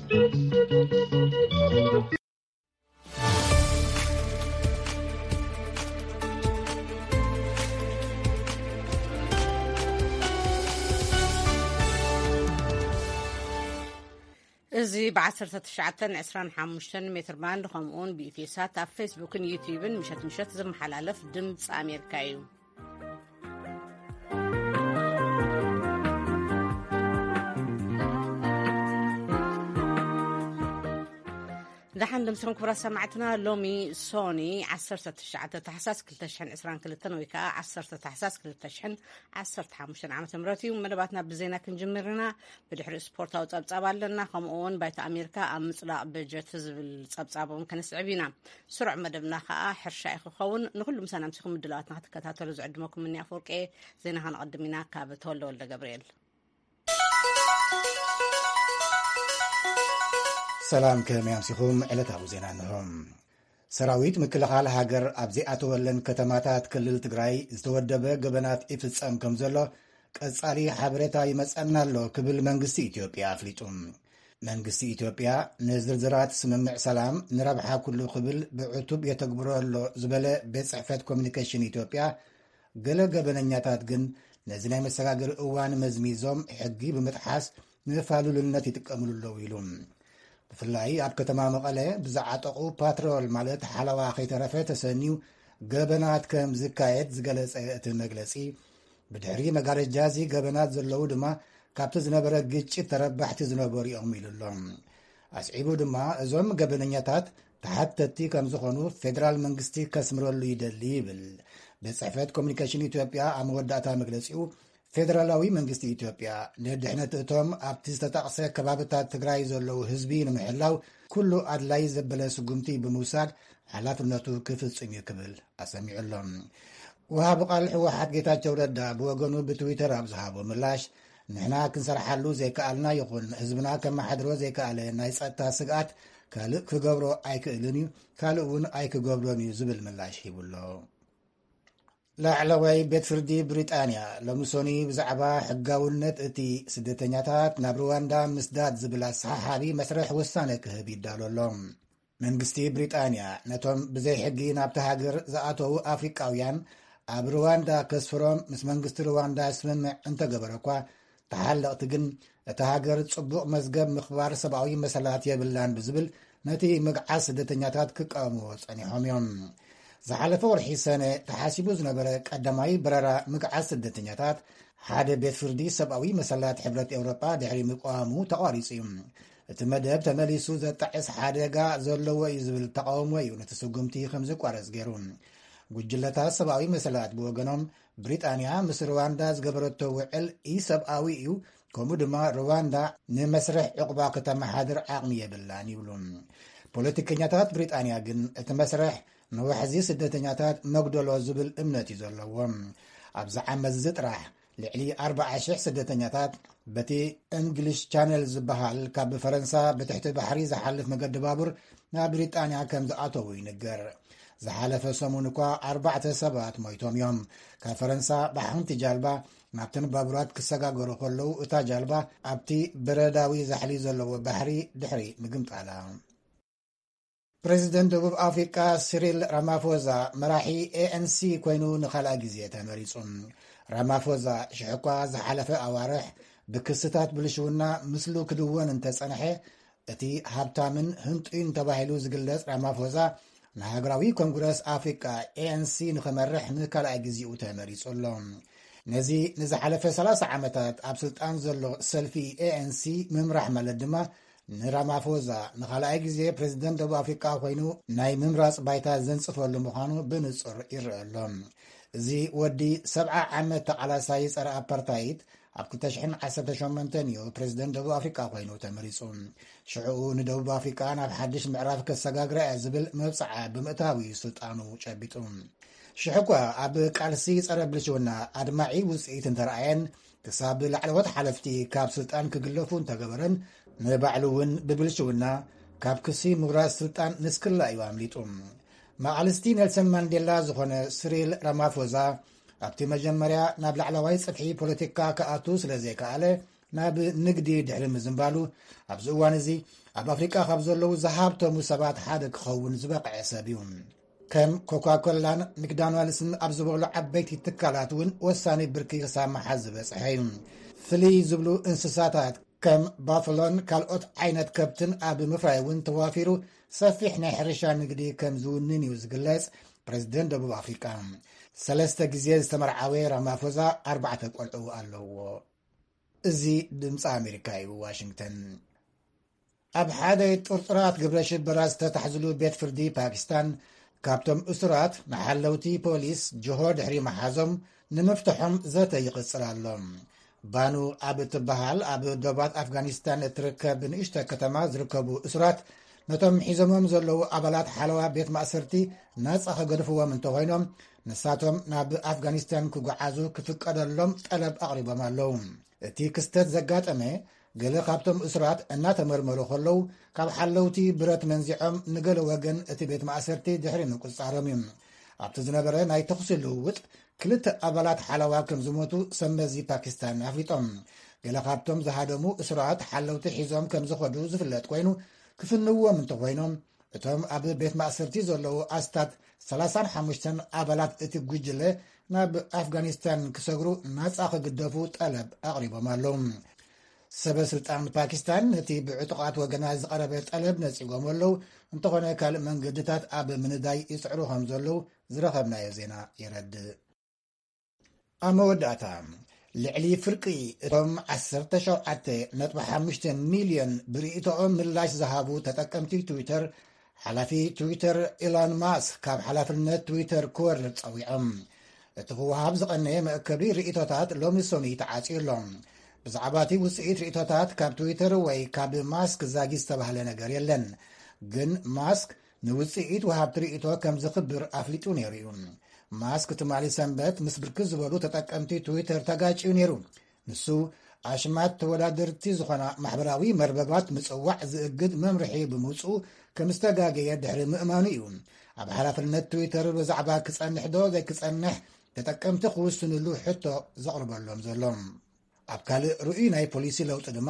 እዚ ብ19 25 ሜትር ባንድ፣ ከምኡውን ብኢትዮሳት ኣብ ፌስቡክን ዩቲዩብን ምሸት ምሸት ዝመሓላለፍ ድምፂ ኣሜሪካ እዩ። ደሓን ደምሲኹም ክቡራት ሰማዕትና። ሎሚ ሶኒ 19 ታሕሳስ 2022 ወይ ከዓ 10 ታሕሳስ 2015 ዓ ም እዩ። መደባትና ብዜና ክንጅምር ኢና። ብድሕሪ ስፖርታዊ ጸብጻብ ኣለና። ከምኡ እውን ባይታ ኣሜሪካ ኣብ ምጽዳቕ በጀት ዝብል ጸብጻብ እውን ከነስዕብ ኢና። ስሩዕ መደብና ከዓ ሕርሻ እዩ ክኸውን። ንኩሉ ምሳና ምሲኹም ምድላዋትና ክትከታተሉ ዝዕድመኩም እኒ ኣፈወርቂ። ዜና ከነቐድም ኢና ካብ ተወልደ ወልደ ገብርኤል። ሰላም፣ ከመይ ኣምሲኹም? ዕለታዊ ዜና እንሆ። ሰራዊት ምክልኻል ሃገር ኣብ ዘይኣተወለን ከተማታት ክልል ትግራይ ዝተወደበ ገበናት ይፍጸም ከም ዘሎ ቀጻሊ ሓበሬታ ይመጸና ኣሎ ክብል መንግስቲ ኢትዮጵያ ኣፍሊጡ። መንግስቲ ኢትዮጵያ ንዝርዝራት ስምምዕ ሰላም ንረብሓ ኩሉ ክብል ብዕቱብ የተግብሮ ኣሎ ዝበለ ቤት ጽሕፈት ኮሚኒኬሽን ኢትዮጵያ፣ ገለ ገበነኛታት ግን ነዚ ናይ መሰጋገሪ እዋን መዝሚዞም ሕጊ ብምጥሓስ ንፋሉልነት ይጥቀምሉ ኣለዉ ኢሉ። ብፍላይ ኣብ ከተማ መቐለ ብዝዓጠቑ ፓትሮል ማለት ሓለዋ ከይተረፈ ተሰንዩ ገበናት ከም ዝካየድ ዝገለጸ እቲ መግለጺ፣ ብድሕሪ መጋረጃ እዚ ገበናት ዘለዉ ድማ ካብቲ ዝነበረ ግጭት ተረባሕቲ ዝነበሩ እዮም ኢሉ ኣሎ። ኣስዒቡ ድማ እዞም ገበነኛታት ተሓተቲ ከም ዝኾኑ ፌደራል መንግስቲ ከስምረሉ ይደሊ ይብል። ቤት ጽሕፈት ኮሚኒኬሽን ኢትዮጵያ ኣብ መወዳእታ መግለጺኡ፣ ፌደራላዊ መንግስቲ ኢትዮጵያ ንድሕነት እቶም ኣብቲ ዝተጠቕሰ ከባብታት ትግራይ ዘለዉ ህዝቢ ንምሕላው ኩሉ ኣድላይ ዘበለ ስጉምቲ ብምውሳድ ሓላፍነቱ ክፍጽም እዩ ክብል ኣሰሚዑ ኣሎ። ወሃቢ ቃል ህወሓት ጌታቸው ረዳ ብወገኑ ብትዊተር ኣብ ዝሃቦ ምላሽ፣ ንሕና ክንሰርሓሉ ዘይከኣልና ይኹን ህዝብና ከመሓድሮ ዘይከኣለ ናይ ጸጥታ ስግኣት ካልእ ክገብሮ ኣይክእልን እዩ፣ ካልእ እውን ኣይክገብሮን እዩ ዝብል ምላሽ ሂቡ ኣሎ። ላዕለዋይ ቤት ፍርዲ ብሪጣንያ ሎሚ ሶኒ ብዛዕባ ሕጋውነት እቲ ስደተኛታት ናብ ሩዋንዳ ምስዳድ ዝብል ኣሰሓሓቢ መስርሕ ውሳነ ክህብ ይዳሎ ኣሎ። መንግስቲ ብሪጣንያ ነቶም ብዘይ ሕጊ ናብቲ ሃገር ዝኣተዉ ኣፍሪቃውያን ኣብ ሩዋንዳ ከስፍሮም ምስ መንግስቲ ሩዋንዳ ስምምዕ እንተገበረ እኳ፣ ተሓለቕቲ ግን እታ ሃገር ጽቡቕ መዝገብ ምኽባር ሰብኣዊ መሰላት የብላን ብዝብል ነቲ ምግዓዝ ስደተኛታት ክቃወምዎ ጸኒሖም እዮም። ዝሓለፈ ወርሒ ሰነ ተሓሲቡ ዝነበረ ቀዳማይ በረራ ምግዓዝ ስደተኛታት ሓደ ቤት ፍርዲ ሰብኣዊ መሰላት ሕብረት ኤውሮጳ ድሕሪ ምቅዋሙ ተቋሪጹ እዩ። እቲ መደብ ተመሊሱ ዘጣዕስ ሓደጋ ዘለዎ እዩ ዝብል ተቃውሞ እዩ ነቲ ስጉምቲ ከም ዝቋረጽ ገይሩ። ጉጅለታት ሰብኣዊ መሰላት ብወገኖም፣ ብሪጣንያ ምስ ሩዋንዳ ዝገበረቶ ውዕል ኢሰብኣዊ እዩ፣ ከምኡ ድማ ሩዋንዳ ንመስርሕ ዕቑባ ከተመሓድር ዓቕሚ የብላን ይብሉ። ፖለቲከኛታት ብሪጣንያ ግን እቲ መስርሕ ንዋሕዚ ስደተኛታት መጉደሎ ዝብል እምነት እዩ ዘለዎም። ኣብዚ ዓመት እዚ ጥራሕ ልዕሊ ኣርባዓ ሽሕ ስደተኛታት በቲ እንግሊሽ ቻነል ዝበሃል ካብ ፈረንሳ ብትሕቲ ባሕሪ ዝሓልፍ መገዲ ባቡር ናብ ብሪጣንያ ከም ዝኣተዉ ይንገር። ዝሓለፈ ሰሙን እኳ ኣርባዕተ ሰባት ሞይቶም እዮም። ካብ ፈረንሳ ብሓንቲ ጃልባ ናብተን ባቡራት ክሰጋገሩ ከለዉ፣ እታ ጃልባ ኣብቲ በረዳዊ ዛሕሊ ዘለዎ ባሕሪ ድሕሪ ምግምጣላ። ፕሬዚደንት ደቡብ ኣፍሪቃ ሲሪል ራማፎዛ መራሒ ኤ ኤን ሲ ኮይኑ ንኻልኣይ ግዜ ተመሪጹ። ራማፎዛ ሽሕ እኳ ዝሓለፈ ኣዋርሕ ብክስታት ብልሽውና ምስሉ ክድወን እንተጸንሐ፣ እቲ ሃብታምን ህንጡይን ተባሂሉ ዝግለጽ ራማፎዛ ንሃገራዊ ኮንግረስ ኣፍሪቃ ኤ ኤን ሲ ንኽመርሕ ንካልኣይ ግዜኡ ተመሪጹ ኣሎ። ነዚ ንዝሓለፈ ሰላሳ ዓመታት ኣብ ስልጣን ዘሎ ሰልፊ ኤ ኤን ሲ ምምራሕ ማለት ድማ ንራማፎዛ ንኻልኣይ ግዜ ፕሬዚደንት ደቡብ ኣፍሪቃ ኮይኑ ናይ ምምራጽ ባይታ ዘንጽፈሉ ምዃኑ ብንጹር ይረአ ኣሎ። እዚ ወዲ ሰብዓ ዓመት ተቓላሳይ ጸረ ኣፓርታይድ ኣብ ክልተ ሽሕን ዓሰርተ ሸሞንተን እዩ ፕሬዚደንት ደቡብ ኣፍሪቃ ኮይኑ ተመሪጹ። ሽዕኡ ንደቡብ ኣፍሪቃ ናብ ሓድሽ ምዕራፍ ከሰጋግራ እያ ዝብል መብጽዓ ብምእታው እዩ ስልጣኑ ጨቢጡ። ሽሕ እኳ ኣብ ቃልሲ ጸረ ብልሽውና ኣድማዒ ውጽኢት እንተረኣየን፣ ክሳብ ላዕለዎት ሓለፍቲ ካብ ስልጣን ክግለፉ እንተገበረን፣ ንባዕሉ እውን ብብልሽውና ካብ ክሲ ምውራስ ስልጣን ንስክላ እዩ ኣምሊጡ። መቓልስቲ ኔልሰን ማንዴላ ዝኾነ ስሪል ራማፎዛ ኣብቲ መጀመርያ ናብ ላዕለዋይ ጽፍሒ ፖለቲካ ክኣቱ ስለ ዘይከኣለ፣ ናብ ንግዲ ድሕሪ ምዝንባሉ፣ ኣብዚ እዋን እዚ ኣብ ኣፍሪቃ ካብ ዘለዉ ዝሃብተሙ ሰባት ሓደ ክኸውን ዝበቕዐ ሰብ እዩ። ከም ኮካኮላን ምክዳናልስን ኣብ ዝበሉ ዓበይቲ ትካላት እውን ወሳኒ ብርኪ ክሳብ መሓዝ ዝበጽሐ እዩ። ፍልይ ዝብሉ እንስሳታት ከም ባፍሎን ካልኦት ዓይነት ከብትን ኣብ ምፍራይ እውን ተዋፊሩ ሰፊሕ ናይ ሕርሻ ንግዲ ከም ዝውንን እዩ ዝግለጽ። ፕረዚደንት ደቡብ ኣፍሪቃ ሰለስተ ግዜ ዝተመርዓወ ራማፎዛ ኣርባዕተ ቆልዑ ኣለዎ። እዚ ድምፂ ኣሜሪካ እዩ። ዋሽንግተን። ኣብ ሓደ ጥርጡራት ግብረ ሽበራ ዝተታሕዝሉ ቤት ፍርዲ ፓኪስታን፣ ካብቶም እሱራት ንሓለውቲ ፖሊስ ጅሆ ድሕሪ መሓዞም ንምፍትሖም ዘተ ይቕጽል ኣሎ። ባኑ ኣብ እትበሃል ኣብ ዶባት ኣፍጋኒስታን እትርከብ ንእሽተ ከተማ ዝርከቡ እሱራት፣ ነቶም ሒዞሞም ዘለዉ ኣባላት ሓለዋ ቤት ማእሰርቲ ናጻ ከገድፍዎም እንተኾይኖም፣ ንሳቶም ናብ ኣፍጋኒስታን ክጓዓዙ ክፍቀደሎም ጠለብ ኣቕሪቦም ኣለዉ። እቲ ክስተት ዘጋጠመ፣ ገለ ካብቶም እሱራት እናተመርመሩ ከለዉ፣ ካብ ሓለውቲ ብረት መንዚዖም ንገለ ወገን እቲ ቤት ማእሰርቲ ድሕሪ ምቁጽጻሮም እዩ። ኣብቲ ዝነበረ ናይ ተኹሲ ልውውጥ፣ ክልተ ኣባላት ሓለዋ ከም ዝሞቱ ሰብ መዚ ፓኪስታን ኣፍሊጦም። ገለ ካብቶም ዝሃደሙ እሱራት ሓለውቲ ሒዞም ከም ዝኸዱ ዝፍለጥ ኮይኑ፣ ክፍንዎም እንተኾይኖም፣ እቶም ኣብ ቤት ማእሰርቲ ዘለዉ ኣስታት ሰላሳን ሓሙሽተን ኣባላት እቲ ጉጅለ ናብ ኣፍጋኒስታን ክሰግሩ ናጻ ክግደፉ ጠለብ ኣቕሪቦም ኣለዉ። ሰበ ስልጣን ፓኪስታን ነቲ ብዕጡቓት ወገናት ዝቐረበ ጠለብ ነጺጎም ኣለዉ። እንተኾነ ካልእ መንገድታት ኣብ ምንዳይ ይጽዕሩ ከም ዘለዉ ዝረኸብናዮ ዜና የረድእ። ኣብ መወዳእታ፣ ልዕሊ ፍርቂ እቶም ዓሰርተ ሸውዓተ ነጥቢ ሓሙሽተ ሚልዮን ብርእይቶኦም ምላሽ ዝሃቡ ተጠቀምቲ ትዊተር፣ ሓላፊ ትዊተር ኢሎን ማስክ ካብ ሓላፍነት ትዊተር ክወርድ ጸዊዖም። እቲ ክወሃብ ዝቐነየ መእከቢ ርእይቶታት ሎሚ ሰኑይ ተዓጽዩ ኣሎ። ብዛዕባ እቲ ውጽኢት ርእይቶታት ካብ ትዊተር ወይ ካብ ማስክ ዛጊ ዝተባህለ ነገር የለን። ግን ማስክ ንውጽኢት ወሃብቲ ርእይቶ ከም ዝኽብር ኣፍሊጡ ነይሩ እዩ። ማስክ ትማሊ ሰንበት ምስ ብርክት ዝበሉ ተጠቀምቲ ትዊተር ተጋጭዩ ነይሩ። ንሱ ኣሽማት ተወዳደርቲ ዝኾና ማሕበራዊ መርበባት ምጽዋዕ ዝእግድ መምርሒ ብምውጽኡ ከም ዝተጋገየ ድሕሪ ምእማኑ እዩ ኣብ ሓላፍነት ትዊተር ብዛዕባ ክጸንሕ ዶ ዘይክጸንሕ ተጠቀምቲ ክውስንሉ ሕቶ ዘቕርበሎም ዘሎ። ኣብ ካልእ ርኡይ ናይ ፖሊሲ ለውጢ ድማ፣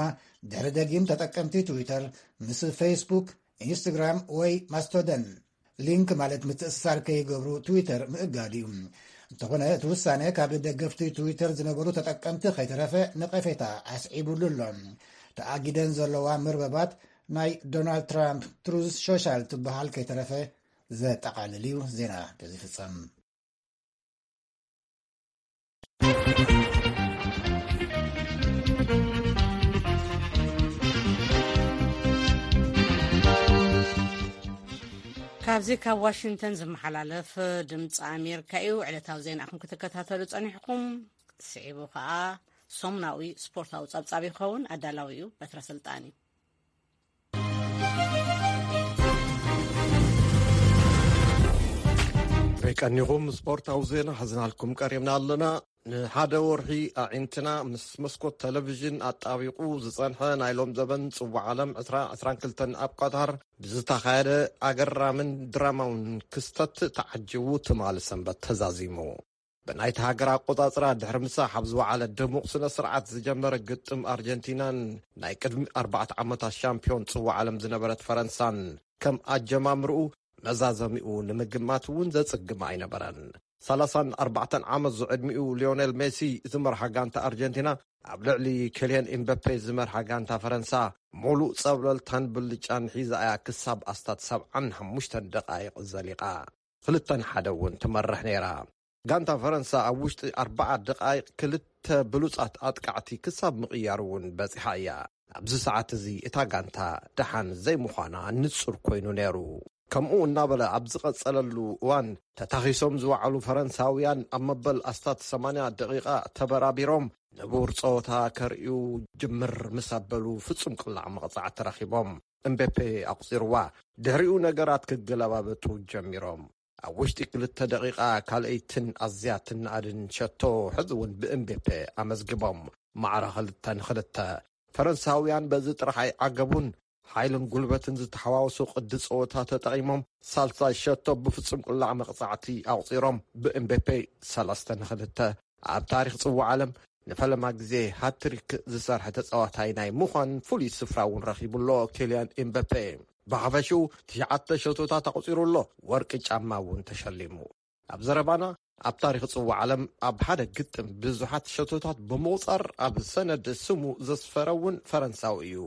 ድሕሪ ደጊም ተጠቀምቲ ትዊተር ምስ ፌስቡክ፣ ኢንስትግራም ወይ ማስቶደን ሊንክ ማለት ምትእስሳር ከይገብሩ ትዊተር ምእጋድ እዩ። እንተኾነ እቲ ውሳነ ካብ ደገፍቲ ትዊተር ዝነበሩ ተጠቀምቲ ከይተረፈ ነቐፌታ ኣስዒቡሉ ኣሎ። ተኣጊደን ዘለዋ መርበባት ናይ ዶናልድ ትራምፕ ትሩዝ ሶሻል ትበሃል ከይተረፈ ዘጠቓልል እዩ። ዜና በዚ ፍጸም። ካብዚ ካብ ዋሽንግተን ዝመሓላለፍ ድምፂ ኣሜሪካ እዩ። ዕለታዊ ዜናኹም ክትከታተሉ ጸኒሕኩም። ስዒቡ ከዓ ሰሙናዊ ስፖርታዊ ጸብጻብ ይኸውን። ኣዳላዊ እዩ በትረ ስልጣን እዩ። ከይቀኒኹም ስፖርታዊ ዜና ሒዝናልኩም ቀሪብና ኣለና። ንሓደ ወርሒ ኣዒንትና ምስ መስኮት ቴሌቪዥን ኣጣቢቑ ዝጸንሐ ናይ ሎም ዘበን ጽዋዕ ዓለም ዕስራ ዕስራን ክልተን ኣብ ቃታር ብዝተኻየደ ኣገራምን ድራማውን ክስተት ተዓጂቡ ትማሊ ሰንበት ተዛዚሙ። ብናይቲ ሃገር ኣቆጻጽራ ድሕሪ ምሳሕ ኣብ ዝወዓለ ድሙቕ ስነ ስርዓት ዝጀመረ ግጥም ኣርጀንቲናን ናይ ቅድሚ ኣርባዕተ ዓመታት ሻምፒዮን ጽዋዕ ዓለም ዝነበረት ፈረንሳን ከም ኣጀማምርኡ መዛዘሚኡ ንምግማት እውን ዘጽግም ኣይነበረን። ሰላሳን ኣርባዕተን ዓመት ዝዕድሚኡ ሊዮኔል ሜሲ ዝመርሓ ጋንታ ኣርጀንቲና ኣብ ልዕሊ ኬልየን ኤምበፔ ዝመርሓ ጋንታ ፈረንሳ፣ ሙሉእ ጸብለልታን ብልጫን ሒዛ እያ ክሳብ ኣስታት ሰብዓን ሓሙሽተን ደቓይቕ ዘሊቓ። ክልተ ንሓደ እውን ትመርሕ ነይራ። ጋንታ ፈረንሳ ኣብ ውሽጢ ኣርባዓ ደቓይቕ ክልተ ብሉጻት ኣጥቃዕቲ ክሳብ ምቕያር እውን በጺሓ እያ። ኣብዚ ሰዓት እዚ እታ ጋንታ ደሓን ዘይምዃና ንጹር ኮይኑ ነይሩ። ከምኡ እናበለ ኣብ ዝቐጸለሉ እዋን፣ ተታኺሶም ዝወዓሉ ፈረንሳውያን ኣብ መበል ኣስታት ሰማንያ ደቂቓ ተበራቢሮም ንቡር ጸወታ ከርእዩ ጅምር ምስ ኣበሉ፣ ፍጹም ቅላዕ መቕጻዕቲ ረኺቦም። እምቤፔ ኣቑጺርዋ። ድሕሪኡ ነገራት ክገለባበጡ ጀሚሮም። ኣብ ውሽጢ ክልተ ደቂቓ ካልኣይትን ኣዝያ ትነኣድን ሸቶ ሕዚ እውን ብእምቤፔ ኣመዝጊቦም። ማዕረ ክልተ ንክልተ። ፈረንሳውያን በዚ ጥራሕ ኣይዓገቡን። ሓይልን ጉልበትን ዝተሓዋወሶ ቅዲ ጸወታ ተጠቒሞም፣ ሳልሳይ ሸቶ ብፍጹም ቅላዕ መቕጻዕቲ ኣቑጺሮም፣ ብእምቤፔ ሰለስተ ንክልተ። ኣብ ታሪኽ ጽዋዕ ዓለም ንፈለማ ግዜ ሃትሪክ ዝሰርሐ ተጻዋታይ ናይ ምዃን ፍሉይ ስፍራ እውን ረኺቡ ኣሎ። ኬልያን ኤምበፔ ብሓፈሽኡ ትሽዓተ ሸቶታት ኣቑጺሩ ኣሎ። ወርቂ ጫማ እውን ተሸሊሙ። ኣብ ዘረባና፣ ኣብ ታሪኽ ጽዋዕ ዓለም ኣብ ሓደ ግጥም ብዙሓት ሸቶታት ብምቑጻር ኣብ ሰነድ ስሙ ዘስፈረ እውን ፈረንሳዊ እዩ።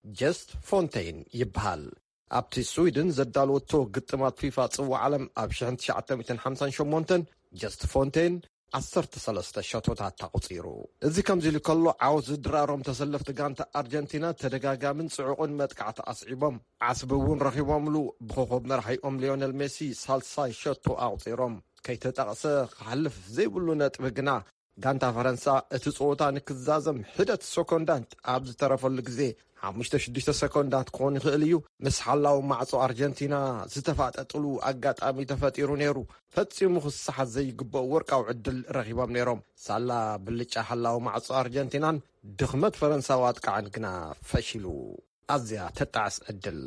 ጀስት ፎንቴይን ይበሃል። ኣብቲ ስዊድን ዘዳለወቶ ግጥማት ፊፋ ጽዋዕ ዓለም ኣብ ሽሕን ትሽዓተ ሚእትን ሓምሳን ሸሞንተን ጀስት ፎንቴይን ዓሰርተ ሰለስተ ሸቶታት ኣቑጺሩ። እዚ ከምዚ ኢሉ ከሎ፣ ዓወት ዝድራሮም ተሰለፍቲ ጋንታ ኣርጀንቲና ተደጋጋምን ጽዑቕን መጥቃዕቲ ኣስዒቦም። ዓስቢ እውን ረኺቦምሉ። ብኮኸብ መራሒኦም ሊዮነል ሜሲ ሳልሳይ ሸቶ ኣቑጺሮም። ከይተጠቕሰ ክሓልፍ ዘይብሉ ነጥቢ ግና፣ ጋንታ ፈረንሳ እቲ ጸወታ ንክዛዘም ሒደት ሰኮንዳት ኣብ ዝተረፈሉ ግዜ፣ ሓሙሽተ ሽዱሽተ ሰኮንዳት ክኾን ይኽእል እዩ፣ ምስ ሓላዊ ማዕጾ ኣርጀንቲና ዝተፋጠጥሉ ኣጋጣሚ ተፈጢሩ ነይሩ። ፈጺሙ ክሰሓት ዘይግብኦ ወርቃዊ ዕድል ረኺቦም ነይሮም። ሳላ ብልጫ ሓላዊ ማዕጾ ኣርጀንቲናን ድኽመት ፈረንሳዊ ኣጥቃዕን ግና ፈሺሉ። ኣዝያ ተጣዕስ ዕድል።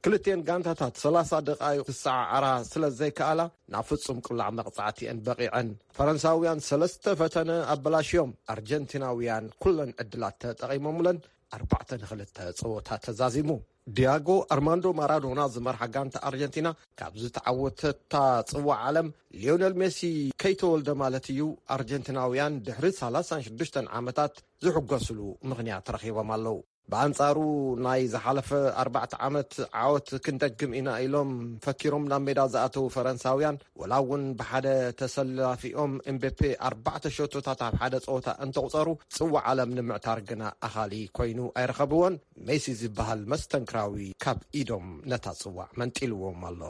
ክልቲኤን ጋንታታት ሰላሳ ደቓይቕ ክሰዓዓራ ስለ ዘይከኣላ፣ ናብ ፍጹም ቅላዕ መቕጻዕቲ እየን በቒዐን። ፈረንሳውያን ሰለስተ ፈተነ ኣበላሽዮም። ኣርጀንቲናውያን ኩለን ዕድላት ተጠቒሞምለን። ኣርባዕተ ንኽልተ ጸወታ ተዛዚሙ። ዲያጎ ኣርማንዶ ማራዶና ዝመርሓ ጋንታ ኣርጀንቲና ካብ ዝተዓወተታ ጽዋዕ ዓለም፣ ሊዮነል ሜሲ ከይተወልደ ማለት እዩ፣ ኣርጀንቲናውያን ድሕሪ ሰላሳን ሽዱሽተን ዓመታት ዝሕጎስሉ ምኽንያት ረኺቦም ኣለዉ። ብኣንጻሩ፣ ናይ ዝሓለፈ ኣርባዕተ ዓመት ዓወት ክንደግም ኢና ኢሎም ፈኪሮም ናብ ሜዳ ዝኣተዉ ፈረንሳውያን፣ ወላ እውን ብሓደ ተሰላፊኦም ኤምቤፔ ኣርባዕተ ሸቶታት ኣብ ሓደ ጸወታ እንተቑጸሩ፣ ጽዋዕ ዓለም ንምዕታር ግና ኣኻሊ ኮይኑ ኣይረኸብዎን። ሜሲ ዝበሃል መስተንክራዊ ካብ ኢዶም ነታ ጽዋዕ መንጢልዎም ኣሎ።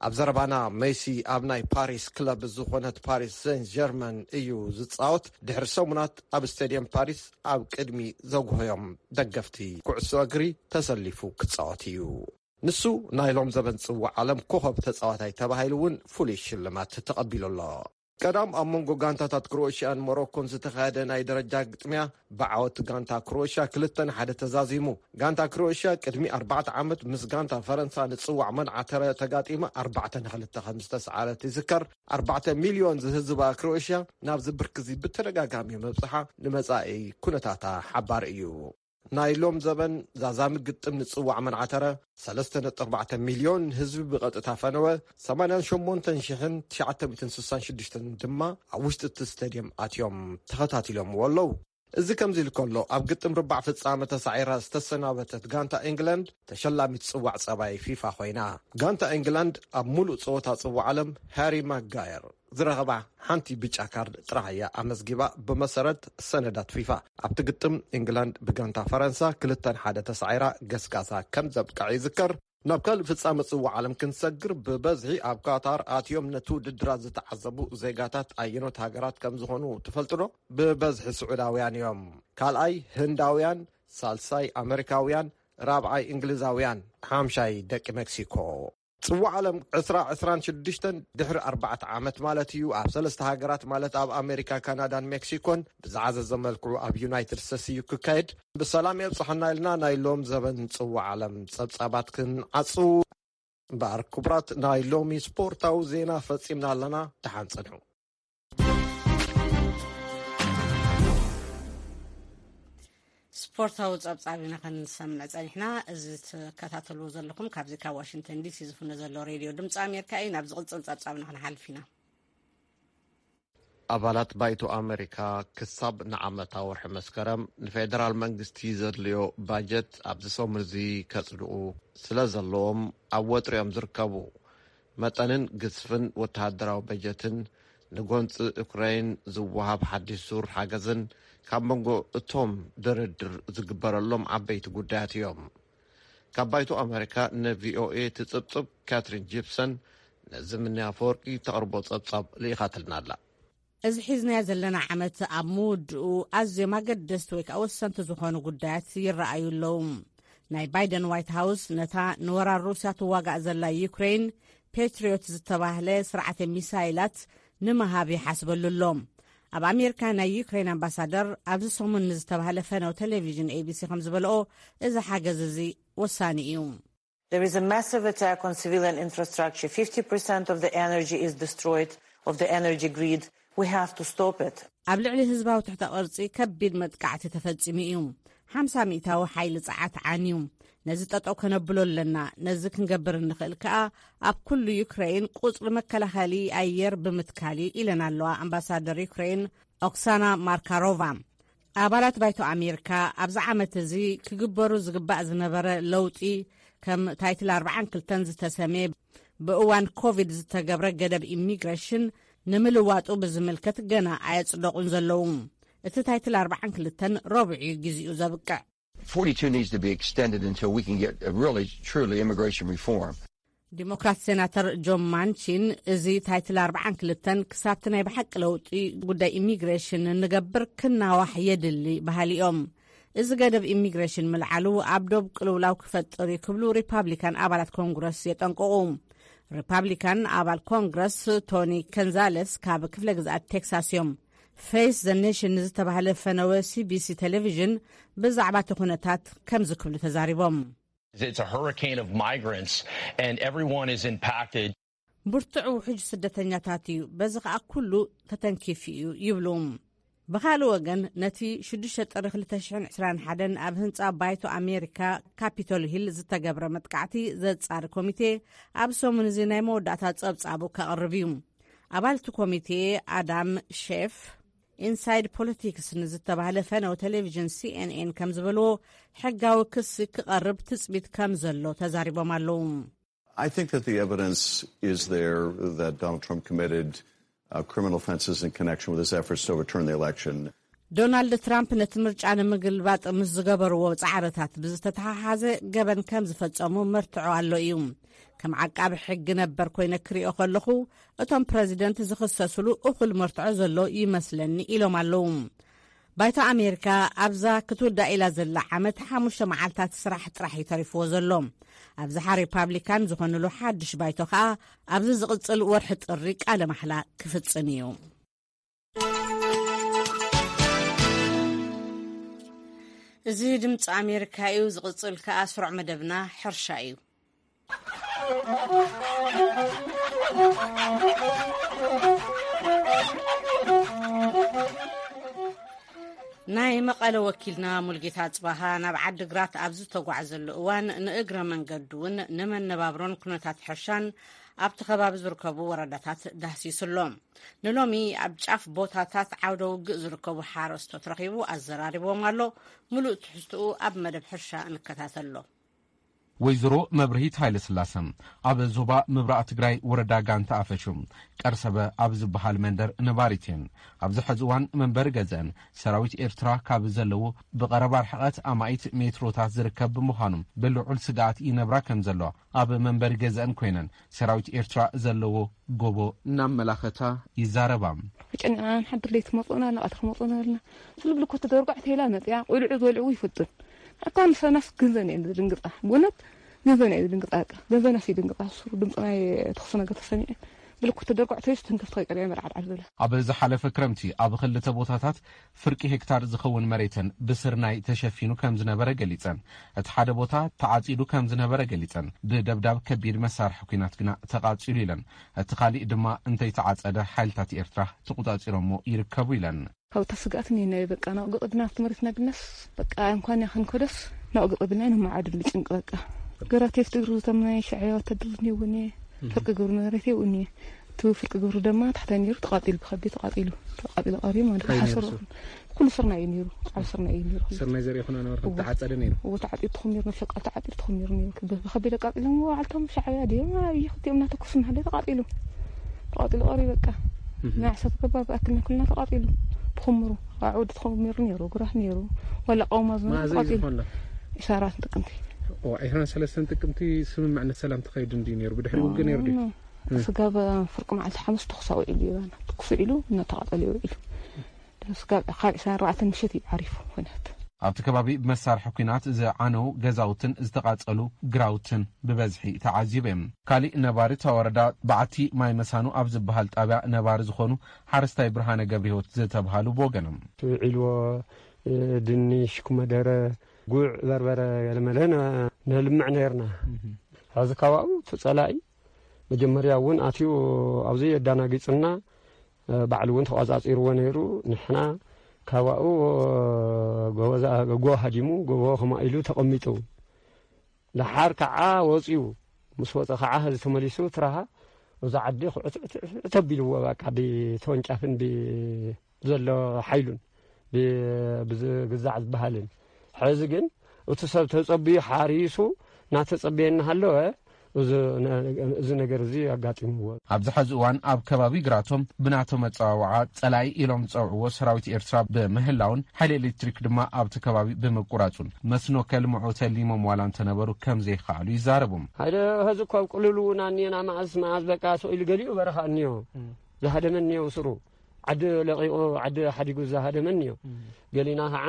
ኣብ ዘረባና፣ ሜሲ ኣብ ናይ ፓሪስ ክለብ ዝኾነት ፓሪስ ሴን ጀርመን እዩ ዝጻወት። ድሕሪ ሰሙናት ኣብ ስቴድየም ፓሪስ ኣብ ቅድሚ ዘጉህዮም ደገፍቲ ኩዕሶ እግሪ ተሰሊፉ ክጻወት እዩ። ንሱ ናይ ሎም ዘበን ጽዋዕ ዓለም ኮኸብ ተጻዋታይ ተባሂሉ እውን ፍሉይ ሽልማት ተቐቢሉ ኣሎ። ቀዳም ኣብ መንጎ ጋንታታት ክሮኤሽያን ሞሮኮን ዝተኻየደ ናይ ደረጃ ግጥምያ፣ ብዓወት ጋንታ ክሮኤሽያ ክልተ ንሓደ ተዛዚሙ። ጋንታ ክሮኤሽያ ቅድሚ ኣርባዕተ ዓመት ምስ ጋንታ ፈረንሳ ንጽዋዕ መንዓተረ ተጋጢማ ኣርባዕተ ንክልተ ከም ዝተሰዓረት ይዝከር። ኣርባዕተ ሚልዮን ዝህዝባ ክሮኤሽያ ናብዚ ብርኪ እዚ ብተደጋጋሚ ምብጽሓ ንመጻኢ ኩነታታ ሓባሪ እዩ። ናይ ሎም ዘበን ዛዛሚ ግጥም ንጽዋዕ መንዓተረ ሰለስተ ነጥቢ ኣርባዕተ ሚልዮን ህዝቢ ብቐጥታ ፈነወ። ሰማንያን ሸሞንተን ሽሕን ትሽዓተ ሚእትን ስሳን ሽዱሽተን ድማ ኣብ ውሽጢ እቲ ስቴድየም ኣትዮም ተኸታቲሎምዎ ኣለዉ። እዚ ከምዚ ኢሉ ከሎ፣ ኣብ ግጥም ርባዕ ፍጻመ ተሳዒራ ዝተሰናበተት ጋንታ ኢንግላንድ ተሸላሚት ጽዋዕ ጸባይ ፊፋ ኮይና። ጋንታ ኢንግላንድ ኣብ ሙሉእ ጸወታ ጽዋዕ ዓለም ሃሪ ማጋየር ዝረኸባ ሓንቲ ብጫ ካርድ ጥራሕ እያ ኣመዝጊባ፣ ብመሰረት ሰነዳት ፊፋ። ኣብቲ ግጥም፣ ኢንግላንድ ብጋንታ ፈረንሳ ክልተ ንሓደ ተሳዒራ ገስጋሳ ከም ዘብቅዐ ይዝከር። ናብ ካልእ ፍጻመ ጽዋዕ ዓለም ክንሰግር፣ ብበዝሒ ኣብ ካታር ኣትዮም ነቲ ውድድራት ዝተዓዘቡ ዜጋታት ኣየኖት ሃገራት ከም ዝኾኑ ትፈልጡ ዶ? ብበዝሒ ስዑዳውያን እዮም። ካልኣይ ህንዳውያን፣ ሳልሳይ ኣመሪካውያን፣ ራብዓይ እንግሊዛውያን፣ ሓምሻይ ደቂ ሜክሲኮ። ጽዋዕ ዓለም ዕስራ ዕስራን ሽዱሽተን ድሕሪ ኣርባዕተ ዓመት ማለት እዩ፣ ኣብ ሰለስተ ሃገራት ማለት ኣብ ኣሜሪካ፣ ካናዳን ሜክሲኮን ብዝዓዘዘ መልክዑ ኣብ ዩናይትድ ስቴትስ እዩ ክካየድ። ብሰላም የብጽሐና ኢልና ናይ ሎም ዘበን ጽዋዕ ዓለም ጸብጻባት ክንዓጹ እምበኣር፣ ክቡራት፣ ናይ ሎሚ ስፖርታዊ ዜና ፈጺምና ኣለና። ደሓን ጽንሑ። ስፖርታዊ ጸብጻብ ኢና ክንሰምዕ ጸኒሕና። እዚ ትከታተልዎ ዘለኹም ካብዚ ካብ ዋሽንግተን ዲሲ ዝፍኖ ዘሎ ሬድዮ ድምፂ ኣሜሪካ እዩ። ናብ ዝቕጽል ጸብጻብና ክንሓልፍ ኢና። ኣባላት ባይቶ ኣመሪካ ክሳብ ንዓመታ ወርሒ መስከረም ንፌደራል መንግስቲ ዘድልዮ ባጀት ኣብዚ ሰሙን እዚ ከጽድቑ ስለ ዘለዎም ኣብ ወጥሪ እዮም ዝርከቡ። መጠንን ግዝፍን ወተሃደራዊ በጀትን ንጎንፂ ኡክራይን ዝወሃብ ሓድሽ ዙር ሓገዝን ካብ መንጎ እቶም ድርድር ዝግበረሎም ዓበይቲ ጉዳያት እዮም። ካብ ባይቶ ኣመሪካ ንቪኦኤ ትፅብፅብ ካትሪን ጂፕሰን ነዚ ምንያ ኣፈወርቂ ተቕርቦ ፀብፃብ ልኢኻትልና ኣላ። እዚ ሒዝናዮ ዘለና ዓመት ኣብ ምውድኡ ኣዝዮም ኣገደስቲ ወይ ከዓ ወሰንቲ ዝኾኑ ጉዳያት ይረኣዩ ኣለዉ። ናይ ባይደን ዋይት ሃውስ ነታ ንወራር ሩስያ ትዋጋእ ዘላ ዩክሬን ፔትሪዮት ዝተባህለ ስርዓተ ሚሳይላት ንምሃብ ይሓስበሉ ኣሎ። ኣብ ኣሜሪካ ናይ ዩክሬን ኣምባሳደር ኣብዚ ሰሙን ንዝተባህለ ፈነው ቴሌቪዥን ኤቢሲ ከም ዝበልኦ፣ እዚ ሓገዝ እዚ ወሳኒ እዩ። There is a massive attack on civilian infrastructure. Fifty percent of the energy is destroyed, of the energy grid. We have to stop it. ኣብ ልዕሊ ህዝባዊ ትሕተ ቅርጺ ከቢድ መጥቃዕቲ ተፈጺሙ እዩ። ሓምሳ ሚእታዊ ሓይሊ ጸዓት ዓንዩ። ነዚ ጠጠው ከነብሎ ኣለና። ነዚ ክንገብር እንኽእል ከኣ ኣብ ኩሉ ዩክሬን ቁጽሪ መከላኸሊ ኣየር ብምትካል እዩ ኢለን ኣለዋ ኣምባሳደር ዩክሬን ኦክሳና ማርካሮቫ። ኣባላት ባይቶ ኣሜሪካ ኣብዚ ዓመት እዚ ክግበሩ ዝግባእ ዝነበረ ለውጢ ከም ታይትል ኣርብዓን ክልተን ዝተሰምየ ብእዋን ኮቪድ ዝተገብረ ገደብ ኢሚግሬሽን ንምልዋጡ ብዝምልከት ገና ኣየጽደቑን ዘለዉ። እቲ ታይትል ኣርብዓን ክልተን ረቡዕ እዩ ግዜኡ ዘብቅዕ። Forty-two needs to be extended until we can get a really, truly immigration reform. ዲሞክራት ሴናተር ጆን ማንቺን እዚ ታይትል ኣርብዓን ክልተን ክሳብቲ ናይ ብሓቂ ለውጢ ጉዳይ ኢሚግሬሽን እንገብር ክናዋሕ የድሊ በሃሊ እዮም። እዚ ገደብ ኢሚግሬሽን ምልዓሉ ኣብ ዶብ ቅልውላው ክፈጥር እዩ ክብሉ ሪፓብሊካን ኣባላት ኮንግረስ የጠንቅቑ። ሪፓብሊካን ኣባል ኮንግረስ ቶኒ ከንዛለስ ካብ ክፍለ ግዝኣት ቴክሳስ እዮም። ፌስ ዘ ኔሽን ንዝተባህለ ፈነወ ሲቢሲ ቴሌቪዥን ብዛዕባ እቲ ኩነታት ከምዚ ክብሉ ተዛሪቦም። It's a hurricane of migrants and everyone is impacted. ብርቱዕ ውሕጅ ስደተኛታት እዩ፣ በዚ ኸኣ ኩሉ ተተንኪፉ እዩ ይብሉ። ብኻልእ ወገን ነቲ ሽዱሽተ ጥሪ ክልተ ሽሕን ዕስራን ሓደን ኣብ ህንጻ ባይቶ ኣሜሪካ ካፒቶል ሂል ዝተገብረ መጥቃዕቲ ዘጻሪ ኮሚቴ ኣብ ሰሙን እዚ ናይ መወዳእታ ጸብጻቡ ከቕርብ እዩ። ኣባል እቲ ኮሚቴ ኣዳም ሼፍ ኢንሳይድ ፖለቲክስ ንዝተባህለ ፈነው ቴሌቪዥን ሲኤንኤን ከም ዝበልዎ፣ ሕጋዊ ክሲ ክቐርብ ትጽቢት ከም ዘሎ ተዛሪቦም ኣለዉ። I think that the evidence is there that Donald Trump committed uh, criminal offenses in connection with his efforts to overturn the election. ዶናልድ ትራምፕ ነቲ ምርጫ ንምግልባጥ ምስ ዝገበርዎ ጻዕርታት ብዝተተሓሓዘ ገበን ከም ዝፈጸሙ መርትዖ ኣሎ እዩ። ከም ዓቃቢ ሕጊ ነበር ኮይነ ክሪኦ ከለኹ፣ እቶም ፕረዚደንት ዝኽሰስሉ እኹል መርትዖ ዘሎ ይመስለኒ ኢሎም ኣለዉ። ባይቶ ኣሜሪካ ኣብዛ ክትውዳእ ኢላ ዘላ ዓመት ሓሙሽተ መዓልታት ስራሕ ጥራሕ እዩ ተሪፍዎ ዘሎ። ኣብዝሓ ሪፓብሊካን ዝኾንሉ ሓድሽ ባይቶ ከኣ ኣብዚ ዝቕጽል ወርሒ ጥሪ ቃለ ማሕላ ክፍጽም እዩ። እዚ ድምፂ ኣሜሪካ እዩ። ዝቕፅል ከኣ ስሩዕ መደብና ሕርሻ እዩ። ናይ መቐለ ወኪልና ሙልጌታ ጽባሃ ናብ ዓዲግራት ኣብ ዝተጓዕዘሉ እዋን፣ ንእግረ መንገዱ እውን ንመነባብሮን ኩነታት ሕርሻን ኣብቲ ከባቢ ዝርከቡ ወረዳታት ዳህሲሱ ኣሎ። ንሎሚ ኣብ ጫፍ ቦታታት ዓውደ ውግእ ዝርከቡ ሓረስቶት ረኺቡ ኣዘራሪቦም ኣሎ። ምሉእ ትሕዝትኡ ኣብ መደብ ሕርሻ ንከታተሎ። ወይዘሮ መብርሂት ሃይለስላሰ ኣብ ዞባ ምብራቕ ትግራይ ወረዳ ጋንታ ኣፈሹ ቀርሰበ ኣብ ዝበሃል መንደር ነባሪት እየን። ኣብዚ ሕዚ እዋን መንበሪ ገዘአን ሰራዊት ኤርትራ ካብ ዘለዎ ብቐረባ ርሕቐት ኣማኢት ሜትሮታት ዝርከብ ብምዃኑ ብልዑል ስግኣት ይነብራ ከም ዘሎ ኣብ መንበሪ ገዘአን ኮይነን ሰራዊት ኤርትራ ዘለዎ ጎቦ እናመላኸታ ይዛረባ። ተጨኒቕና ንሓድር ለይቲ ክመፅኡና ኣለና፣ ቀትሪ ክመፅኡና ኣለና። ስልብልኮ ተደርጓዕ ተይላ መፅያ ቆልዑ ዝበልዕዎ ይፈልጡን። ኣካ ንሰናስ ገንዘን እየን ዝድንግፃ። ብእውነት ገንዘን እየ ዝድንግፃ። በቃ ገንዘናስ ይድንግፃ። ስሩ ድምፂ ናይ ተኽሲ ነገር ተሰሚዐ ብልኮ ተደርጓዕ ተይስ ተንከፍቲ ከይቀሪዐ መርዓድ ዓድ ብላ። ኣብ ዝሓለፈ ክረምቲ ኣብ ክልተ ቦታታት ፍርቂ ሄክታር ዝኸውን መሬተን ብስርናይ ተሸፊኑ ከም ዝነበረ ገሊጸን። እቲ ሓደ ቦታ ተዓጺዱ ከም ዝነበረ ገሊጸን። ብደብዳብ ከቢድ መሳርሒ ኲናት ግና ተቓጺሉ ኢለን። እቲ ካሊእ ድማ እንተይተዓጸደ ሓይልታት ኤርትራ ተቖጻጺሮሞ ይርከቡ ኢለን። ካብታ ስግኣት እኒና በቃ ናብኡ ገቐድና ኣብቲ መሬትና ብናስ በቃ እንኳን ያኸን ከደስ ናብኡ ገቐድና ንመዓድል ብጭንቂ በቃ ገራቴ ፍትግሩ ተምናይ ሻዕያ ወታደር እኒውኒ ፍርቂ ግብሩ መሬት ይውኒ እቲ ፍርቂ ግብሩ ድማ ታሕታይ ነይሩ ተቃጢሉ ብከቢድ ተቃጢሉ ተቃጢሉ ቀሪቡ ማለት እዩ። ሓሰሩ ኩሉ ስርና እዩ ነይሩ። ዓብ ስርና እዩ ነይሩ። ስርናይ ዘርኢ ኩና ነበርኩም ተዓጸደ ነይሩ። እዎ ተዓጢሩ ተኾሚሩ ነፍሸቃል ተዓጢሩ ተኾሚሩ ነይሩ። ብከቢድ ኣቃጢሎም ዋዕልቶም ሻዕብያ ድዮም ኣብይ ክልቲኦም እናተኮሱ እናሃለዩ ተቃጢሉ ተቃጢሉ ቀሪቡ በቃ ናይ ዓሰርተ ገባር ዝኣክል ናይ ኩልና ተቃጢሉ ብኹምሩ ኣዕወዲ ተኾሚሩ ነይሩ። ግራት ነይሩ ዋላ ቀውማ ዝነበረ መዓዘ እዩ ተቃጢሉ ዝኾን? ኢሳራት ጥቅምቲ። ዒስራን ሰለስተን ጥቅምቲ ስምምዕነት ሰላም ተኻይዱ እንድዩ ነይሩ። ብድሕሪ ውግእ ነይሩ ድዩ? ስጋብ ፍርቂ መዓልቲ ሓሙስ ተኹስ ኣውዒሉ እዩ ባና። ተኩስ ውዒሉ እናተቓጸለ እዩ ውዒሉ። ስጋብ ካብ ዒስራን ኣርባዕተን ምሸት እዩ ዓሪፉ ኩናት። ኣብቲ ከባቢ ብመሳርሒ ኲናት ዝዓነው ገዛውትን ዝተቓጸሉ ግራውትን ብበዝሒ ተዓዚቡ እዮም። ካሊእ ነባሪ እታ ወረዳ በዓቲ ማይ መሳኑ ኣብ ዝበሃል ጣብያ ነባሪ ዝኾኑ ሓረስታይ ብርሃነ ገብረህይወት ዝተብሃሉ ብወገኖም። ውዒልዎ ድንሽ፣ ኩመደረ፣ ጉዕ፣ በርበረ ገለመለ ነልምዕ ነይርና። ሕዚ ካብ ኣብኡ እቲ ጸላኢ መጀመርያ እውን ኣትዩ ኣብዚ የዳናጊጽና ባዕሉ እውን ተቋጻጺርዎ ነይሩ። ንሕና ካባኡ ጎቦ ሃዲሙ፣ ጎቦ ከማኢሉ ተቐሚጡ፣ ደሓር ከዓ ወፂኡ። ምስ ወፀ ከዓ ህዚ ተመሊሱ ትራሃ እዛ ዓዲ ክዕትዕትዕት ኣቢልዎ፣ በቃ ብተወንጫፍን ብዘሎ ሓይሉን ብግዛዕ ዝበሃልን። ሕዚ ግን እቲ ሰብ ተጸብዩ ሓሪሱ እናተጸበየ እናሃለወ እዚ ነ-፣ እዚ ነገር እዚ ኣጋጢምዎ። ኣብዚ ሕዚ እዋን ኣብ ከባቢ ግራቶም ብናቶም ኣጸዋውዓ ጸላኢ ኢሎም ዝጸውዕዎ ሰራዊት ኤርትራ ብምህላውን ሓይሊ ኤሌክትሪክ ድማ ኣብቲ ከባቢ ብምቁራጹን መስኖ ከልምዑ ተሊሞም ዋላ እንተነበሩ ከም ዘይከኣሉ ይዛረቡ። ሓደ ሕዚ እኮ ኣብ ቅልል እውን ኣኒየና፣ መዓዝ መዓዝ በቃ ስቕ ኢሉ ገሊኡ በረኻ እኒዮ። ዝሃደመ እኒዮ ስሩ። ዓዲ ለቒቑ ዓዲ ሓዲጉ ዝሃደመ እኒዮ። ገሊና ከዓ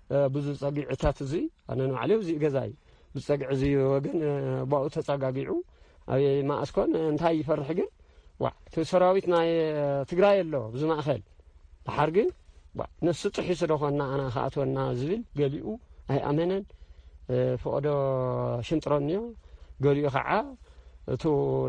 እ፣ ብዙ ጸጊዕታት እዚ ኣነ ንባዕለይ እዚ ገዛይ ብጸግዒ እዚ ወገን፣ እ፣ ባኡ ተጸጋጊዑ ኣበይ መኣስኮን እንታይ ይፈርሕ ግን፣ ዋ፣ እቲ ሰራዊት ናይ፣ እ፣ ትግራይ ኣሎ ኣብዚ ማእኸል። ደሓር ግን፣ ዋ፣ ነሱ ጥሒሱ ዶ ኾንና ኣና ክኣትወና ዝብል ገሊኡ ኣይኣመነን። እ፣ ፈቐዶ ሽንጥሮ እኒኦ፣ ገሊኡ ኸዓ እቱ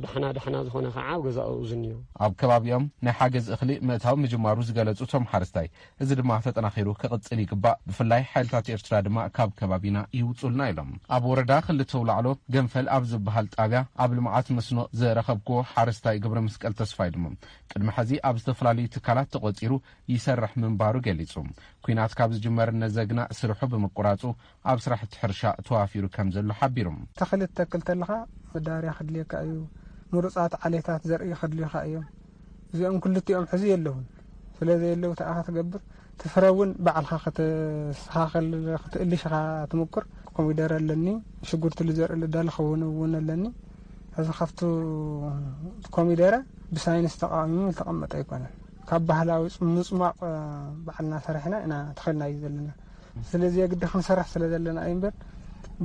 ዳሕና ዳሕና ዝኾነ ኸዓ ኣብ ገዛኡ ዝንዮ። ኣብ ከባቢኦም ናይ ሓገዝ እኽሊ ምእታው ምጅማሩ ዝገለጹ እቶም ሓረስታይ፣ እዚ ድማ ተጠናኺሩ ክቕጽል ይግባእ። ብፍላይ ሓይልታት ኤርትራ ድማ ካብ ከባቢና ይውጹልና ኢሎም። ኣብ ወረዳ ክልተ ውላዕሎ ገንፈል ኣብ ዝበሃል ጣብያ ኣብ ልምዓት መስኖ ዝረኸብክዎ ሓረስታይ ገብረ መስቀል ተስፋይ ድማ ቅድሚ ሕዚ ኣብ ዝተፈላለዩ ትካላት ተቖጺሩ ይሰርሕ ምንባሩ ገሊጹ። ኲናት ካብ ዝጅመር ነዘግና ስርሑ ብምቁራጹ ኣብ ስራሕቲ ሕርሻ ተዋፊሩ ከም ዘሎ ሓቢሩ። ተኽሊ ትተክል ተለኻ መዳበርያ ክድልየካ እዩ። ምሩጻት ዓሌታት ዘርኢ ክድልዩኻ እዮም። እዚኦም ክልቲኦም ሕዚ የለውን። ስለ ዘየለው ተኣኻ ትገብር፣ ትፍረ እውን ባዕልኻ ከተስተኻኸል ክትእልሽ ኢኻ ትምኩር። ኮሚደረ ኣለኒ፣ ሽጉርቲ ልዘርኢ ልዳለ ክውን እውን ኣለኒ። ሕዚ ካብቱ ኮሚደረ ብሳይንስ ተቃሚሙ ዝተቐመጠ ኣይኮነን። ካብ ባህላዊ ጽ-፣ ምጽሟቕ፣ እ፣ ባዕልና ሰሪሕና ኢና ተኸልና እዩ ዘለና። ስለዚ የግዲ ክንሰርሕ ስለ ዘለና እዩ እምበር፣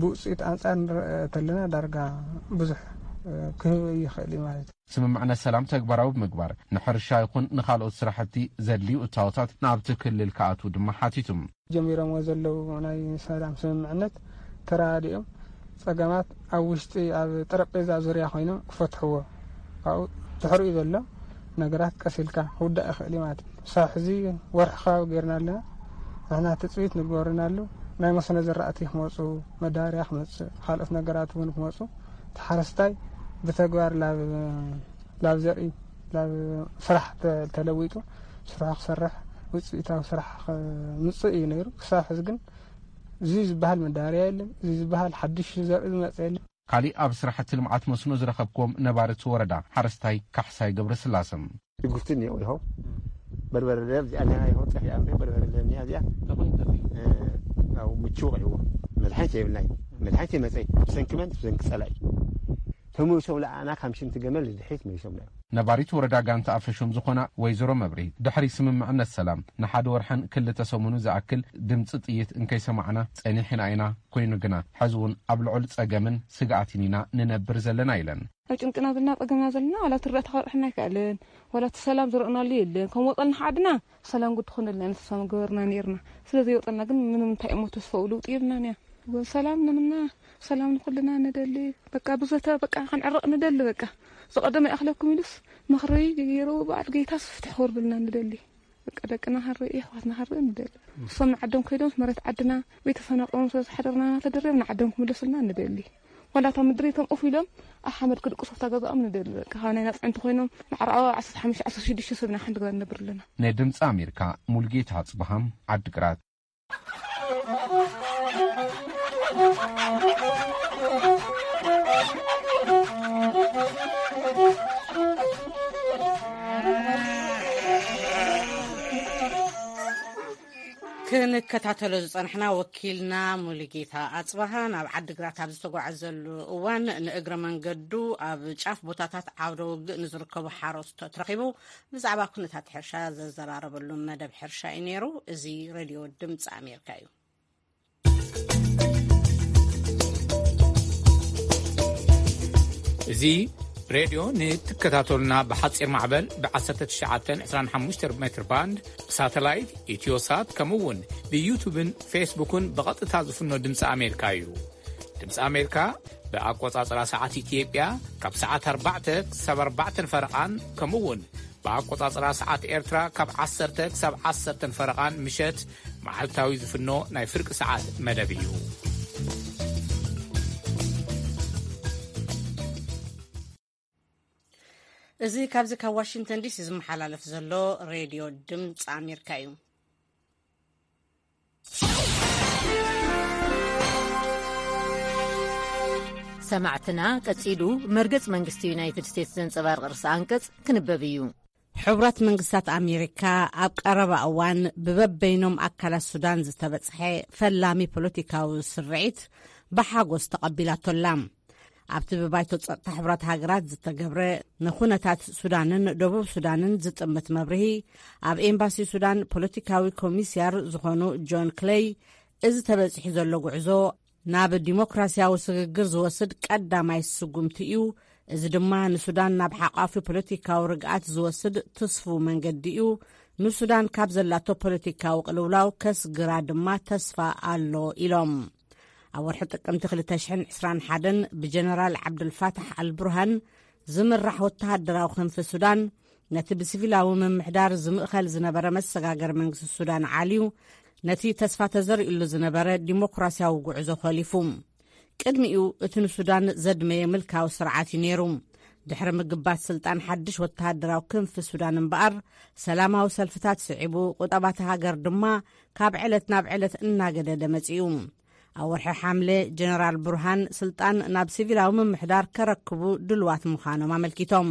ብውጽኢት ኣንጻር ንርእ ተለና ዳርጋ ብዙሕ፣ እ፣ ክህብ ይኽእል እዩ ማለት እዩ። ስምምዕነት ሰላም ተግባራዊ ብምግባር ንሕርሻ ይኹን ንኻልኦት ስራሕቲ ዘድልዩ እታወታት ናብቲ ክልል ክኣትዉ ድማ ሓቲቱ። ጀሚሮምዎ ዘለዉ ናይ ሰላም ስምምዕነት ተረዳዲኦም ጸገማት ኣብ ውሽጢ ኣብ ጠረጴዛ ዙርያ ኮይኖም ክፈትሕዎ፣ ካብኡ ድሕሪኡ ዘሎ ነገራት ቀስ ኢልካ ክውዳእ ይኽእል እዩ ማለት እዩ። ክሳብ ሕዚ ወርሒ ከባቢ ጌርና ኣለና። ንሕና ትጽቢት ንግበርና ኣለዉ። ናይ መስኖ ዝራእቲ ክመጹ፣ መዳበርያ ክመጽእ፣ ካልኦት ነገራት እውን ክመጹ፣ እቲ ሓረስታይ ብተግባር ላብ፣ ላብ ዘርኢ፣ ላብ ስራሕ ተ-፣ ተለዊጡ ስርሑ ክሰርሕ፣ ውጽኢታዊ ስራሕ ክምጽእ እዩ ነይሩ። ክሳብ ሕዚ ግን እዚ ዝበሃል መዳበርያ የለን፣ እዚ ዝበሃል ሓድሽ ዘርኢ ዝመጸ የለን። ካሊእ ኣብ ስራሕቲ ልምዓት መስኖ ዝረኸብክዎም ነባሪ እቲ ወረዳ ሓረስታይ ካሕሳይ ገብረስላሰ። ሽጉርቲ እኒኦ ኢኹ፣ በርበረ ደብ እዚኣ እኒኣ ኢኹ፣ ጠፊኣ እምበር በርበረ ደብ እኒኣ እዚኣ፣ እንታይ ኮይኑ ጠፊኡ? እ፣ ያው ምቹ ወቂዕዎ። መድሓኒት የብልናይ። መድሓኒት የመፀይ። ብሰንኪ መን? ብሰንኪ ፀላኢ። ተመሊሶም ለኣና ካብ ሽንቲ ገመል ንድሕሪት መሊሶም ለኣና። ነባሪት ወረዳ ጋንታ ኣፈሾም ዝኾና ወይዘሮ መብርሂት፣ ድሕሪ ስምምዕነት ሰላም ንሓደ ወርሕን ክልተ ሰሙኑ ዝኣክል ድምፂ ጥይት እንከይሰማዕና ፀኒሕና ኢና። ኮይኑ ግና፣ ሕዚ እውን ኣብ ልዑል ጸገምን ስግኣትን ኢና ንነብር ዘለና ኢለን። ኣብ ጭንቅና ዘለና፣ ጸገምና ዘለና፣ ዋላ እቲ ርዳእታ ከብርሐና ኣይከኣለን፣ ዋላ እቲ ሰላም ዝረእናሉ የለን። ከም ወጸልና ዓድና ሰላም ጉድ ትኾነልና ኢና ተስፋ ምገበርና ነይርና። ስለ ዘይወጸልና ግን ምንም እንታይ እሞ ተስፋኡ ለውጢ የብልናን እያ። ሰላም ነምና፣ ሰላም ንኹልና ንደሊ። በቃ ብዘተ በቃ ክንዕረቕ ንደሊ። በቃ ዝቐደመ ይኣኽለኩም ኢሉስ ምኽሪ ገይሩ በዓል ጌታስ ፍትሕ ክወርደልና ንደሊ። በቃ ደቅና ክንርኢ፣ ኣሕዋትና ክንርኢ ንደሊ። እሶም ንዓዶም ከይዶም መሬት ዓድና ቤተሰብና ቆሞም ስለ ዝሓደርና እናተደረብ ንዓዶም ክምለሱልና ንደሊ። ዋላ እታ ምድሪቶም ኡፍ ኢሎም ኣብ ሓመድ ክድቅሱ ኣብታ ገዛኦም ንደሊ። በቃ ካብ ናይ ናጽዕንቲ ኮይኖም ማዕረ ዓሰርተ ሓሙሽተ ዓሰርተ ሽዱሽተ ሰብ ኢና ሓንቲ ገዛ ንነብር ኣለና። ናይ ድምፂ ኣሜሪካ ሙልጌታ ኣጽብሃም ዓድግራት። ክንከታተሎ ዝጸንሕና ወኪልና ሙሉጌታ ኣጽበሃ ናብ ዓዲግራት ኣብ ዝተጓዓዘሉ እዋን ንእግረ መንገዱ ኣብ ጫፍ ቦታታት ዓውደ ውግእ ንዝርከቡ ሓረስቶት ረኺቡ ብዛዕባ ኩነታት ሕርሻ ዘዘራረበሉ መደብ ሕርሻ እዩ ነይሩ። እዚ ሬድዮ ድምፂ ኣሜሪካ እዩ። እዚ ሬድዮ ንትከታተሉና ብሓጺር ማዕበል ብ1925 ሜትር ባንድ፣ ብሳተላይት፣ ኢትዮሳት፣ ከምኡ እውን ብዩቱብን ፌስቡክን ብቐጥታ ዝፍኖ ድምፂ ኣሜሪካ እዩ። ድምፂ ኣሜሪካ ብኣቆጻጽራ ሰዓት ኢትዮጵያ ካብ ሰዓት ኣርባዕተ ክሳብ ኣርባዕተን ፈረቓን፣ ከምኡ እውን ብኣቆጻጽራ ሰዓት ኤርትራ ካብ ዓሰርተ ክሳብ ዓሰርተ ፈረቓን ምሸት መዓልታዊ ዝፍኖ ናይ ፍርቂ ሰዓት መደብ እዩ። እዚ ካብዚ ካብ ዋሽንግተን ዲሲ ዝመሓላለፍ ዘሎ ሬድዮ ድምፂ ኣሜሪካ እዩ። ሰማዕትና፣ ቀጺሉ መርገጽ መንግስቲ ዩናይትድ ስቴትስ ዘንጸባርቕ ርእሰ ኣንቀጽ ክንበብ እዩ። ሕቡራት መንግስታት ኣሜሪካ ኣብ ቀረባ እዋን ብበበይኖም ኣካላት ሱዳን ዝተበጽሐ ፈላሚ ፖለቲካዊ ስርዒት ብሓጎስ ተቐቢላቶ ኣላ። ኣብቲ ብባይቶ ጸጥታ ሕቡራት ሃገራት ዝተገብረ ንኹነታት ሱዳንን ደቡብ ሱዳንን ዝጥምት መብርሂ፣ ኣብ ኤምባሲ ሱዳን ፖለቲካዊ ኮሚስያር ዝኾኑ ጆን ክለይ፣ እዚ ተበጺሑ ዘሎ ጉዕዞ ናብ ዲሞክራሲያዊ ስግግር ዝወስድ ቀዳማይ ስጉምቲ እዩ። እዚ ድማ ንሱዳን ናብ ሓቋፊ ፖለቲካዊ ርግኣት ዝወስድ ትስፉው መንገዲ እዩ። ንሱዳን ካብ ዘላቶ ፖለቲካዊ ቅልውላው ከስግራ ድማ ተስፋ ኣሎ ኢሎም። ኣብ ወርሒ ጥቅምቲ ክልተ ሽሕን ዕስራን ሓደን ብጀነራል ዓብዱልፋታሕ ኣልቡርሃን ዝምራሕ ወተሃደራዊ ክንፊ ሱዳን፣ ነቲ ብሲቪላዊ ምምሕዳር ዝምእኸል ዝነበረ መሰጋገሪ መንግስቲ ሱዳን ዓልዩ፣ ነቲ ተስፋ ተዘሪኡሉ ዝነበረ ዲሞክራሲያዊ ጉዕዞ ኾሊፉ። ቅድሚኡ እቲ ንሱዳን ዘድመየ ምልካዊ ስርዓት እዩ ነይሩ። ድሕሪ ምግባት ስልጣን ሓድሽ ወተሃደራዊ ክንፊ ሱዳን እምበኣር፣ ሰላማዊ ሰልፍታት ስዒቡ፣ ቁጠባ እታ ሃገር ድማ ካብ ዕለት ናብ ዕለት እናገደደ መጺኡ። ኣብ ወርሒ ሓምለ፣ ጀነራል ቡርሃን ስልጣን ናብ ሲቪላዊ ምምሕዳር ከረክቡ ድልዋት ምዃኖም ኣመልኪቶም።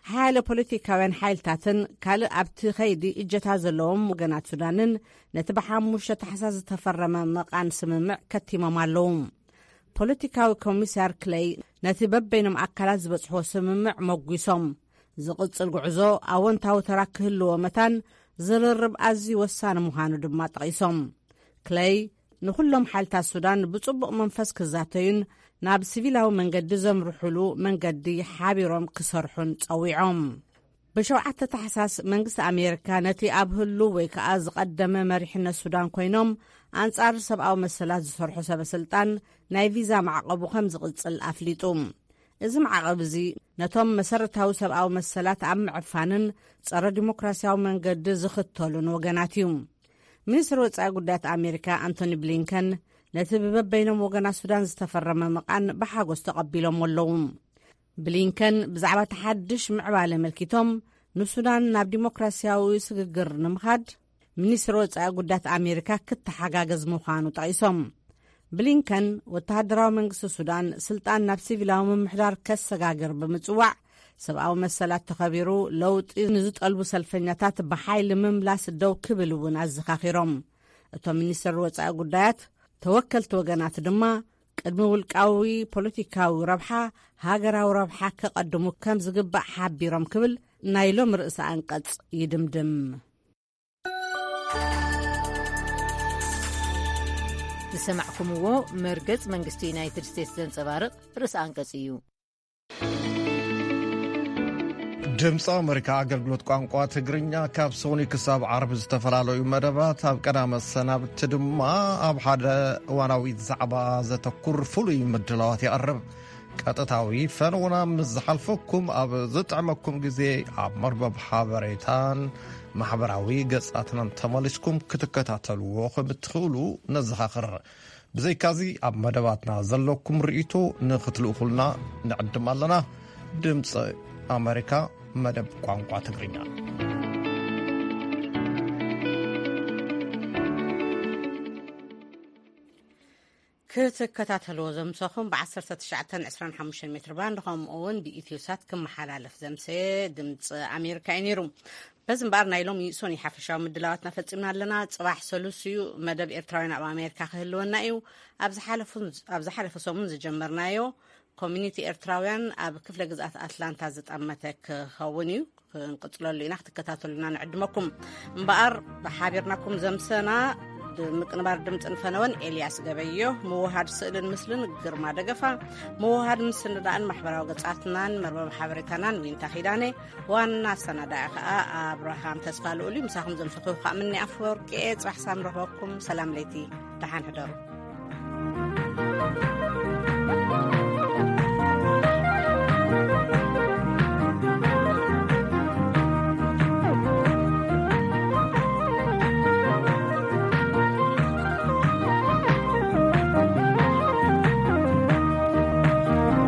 ሓያለ ፖለቲካውያን ሓይልታትን ካልእ ኣብቲ ኸይዲ እጀታ ዘለዎም ወገናት ሱዳንን ነቲ ብሓሙሽተ ታሕሳስ ዝተፈረመ መቓን ስምምዕ ከቲሞም ኣለዉ። ፖለቲካዊ ኮሚሳር ክለይ ነቲ በበይኖም ኣካላት ዝበጽሕዎ ስምምዕ መጒሶም፣ ዝቕጽል ጉዕዞ ኣወንታዊ ተራ ክህልዎ መታን ዝርርብ ኣዝዩ ወሳኒ ምዃኑ ድማ ጠቒሶም። ክለይ ንኹሎም ሓይልታት ሱዳን ብጽቡቕ መንፈስ ክዛተዩን ናብ ሲቪላዊ መንገዲ ዘምርሑሉ መንገዲ ሓቢሮም ክሰርሑን ጸዊዖም። ብሸውዓተ ታሕሳስ መንግስቲ ኣሜሪካ ነቲ ኣብ ህሉው ወይ ከኣ ዝቐደመ መሪሕነት ሱዳን ኮይኖም ኣንጻር ሰብኣዊ መሰላት ዝሰርሑ ሰበ ስልጣን ናይ ቪዛ ማዕቐቡ ከም ዝቕጽል ኣፍሊጡ። እዚ ማዕቐብ እዚ ነቶም መሰረታዊ ሰብኣዊ መሰላት ኣብ ምዕፋንን ጸረ ዲሞክራሲያዊ መንገዲ ዝኽተሉን ወገናት እዩ። ሚኒስትሪ ወጻኢ ጉዳያት ኣሜሪካ ኣንቶኒ ብሊንከን ነቲ ብበበይኖም ወገናት ሱዳን ዝተፈረመ መቓን ብሓጎስ ተቐቢሎም ኣለዉ። ብሊንከን ብዛዕባ እቲ ሓድሽ ምዕባለ ኣመልኪቶም፣ ንሱዳን ናብ ዲሞክራሲያዊ ስግግር ንምኻድ ሚኒስትሪ ወጻኢ ጉዳያት ኣሜሪካ ክተሓጋገዝ ምዃኑ ጠቒሶም። ብሊንከን ወተሃደራዊ መንግስቲ ሱዳን ስልጣን ናብ ሲቪላዊ ምምሕዳር ከሰጋግር ብምጽዋዕ፣ ሰብኣዊ መሰላት ተኸቢሩ ለውጢ ንዝጠልቡ ሰልፈኛታት ብሓይሊ ምምላስ ደው ክብል እውን ኣዘኻኺሮም። እቶም ሚኒስትር ወጻኢ ጉዳያት፣ ተወከልቲ ወገናት ድማ ቅድሚ ውልቃዊ ፖለቲካዊ ረብሓ፣ ሃገራዊ ረብሓ ከቐድሙ ከም ዝግባእ ሓቢሮም ክብል ናይ ሎም ርእሰ ኣንቀጽ ይድምድም። ዝሰማዕኩምዎ መርገጽ መንግስቲ ዩናይትድ ስቴትስ ዘንጸባርቕ ርእሰ ኣንቀጽ እዩ። ድምፂ ኣሜሪካ ኣገልግሎት ቋንቋ ትግርኛ ካብ ሰኑይ ክሳብ ዓርቢ ዝተፈላለዩ መደባት፣ ኣብ ቀዳመ ሰናብቲ ድማ ኣብ ሓደ እዋናዊ ዛዕባ ዘተኩር ፍሉይ ምድላዋት የቕርብ። ቀጥታዊ ፈነውና ምስ ዝሓልፈኩም፣ ኣብ ዝጥዕመኩም ግዜ ኣብ መርበብ ሓበሬታን ማሕበራዊ ገጻትናን ተመሊስኩም ክትከታተልዎ ከም እትኽእሉ ነዘኻኽር። ብዘይካዚ፣ ኣብ መደባትና ዘለኩም ርእይቶ ንኽትልእኹልና ንዕድም ኣለና። ድምፂ ኣሜሪካ፣ መደብ ቋንቋ ትግርኛ። ክትከታተልዎ ዘምሰኹም ብ ዓሰርተ ትሽዓተን ዕስራን ሓሙሽተን ሜትር ባንድ፣ ከምኡ እውን ብኢትዮሳት ክመሓላለፍ ዘምሰየ ድምፂ ኣሜሪካ እዩ ነይሩ። በዚ እምበኣር፣ ናይ ሎሚ ሰኑይ ሓፈሻዊ ምድላዋትና ፈጺምና ኣለና። ጽባሕ ሰሉስ እዩ፣ መደብ ኤርትራውያን ኣብ ኣሜሪካ ክህልወና እዩ። ኣብ ዝሓለፉን፣ ኣብ ዝሓለፈ ሰሙን ዝጀመርናዮ ኮሚኒቲ ኤርትራውያን ኣብ ክፍለ ግዝኣት ኣትላንታ ዝጠመተ ክኸውን እዩ። ክንቅጽለሉ ኢና፣ ክትከታተሉና ንዕድመኩም። እምበኣር፣ ብሓቢርናኩም ዘምሰና፣ ድ-፣ ምቅንባር ድምጽን ፈነወን ኤልያስ ገበዮ፣ ምውሃድ ስእልን ምስልን ግርማ ደገፋ፣ ምውሃድ ምስንዳእን ማሕበራዊ ገጻትናን መርበብ ሓበሬታናን ዊንታ ኪዳነ፣ ዋና ኣሰናዳኢ ከኣ ኣብርሃም ተስፋ ልኡል እዩ። ምሳኹም ዘምሰኹ ከኣ ምኒ ኣፈወርቂ እየ። ጽባሕ ሳም ረኽበኩም። ሰላም ለይቲ። ደሓን ሕደሩ።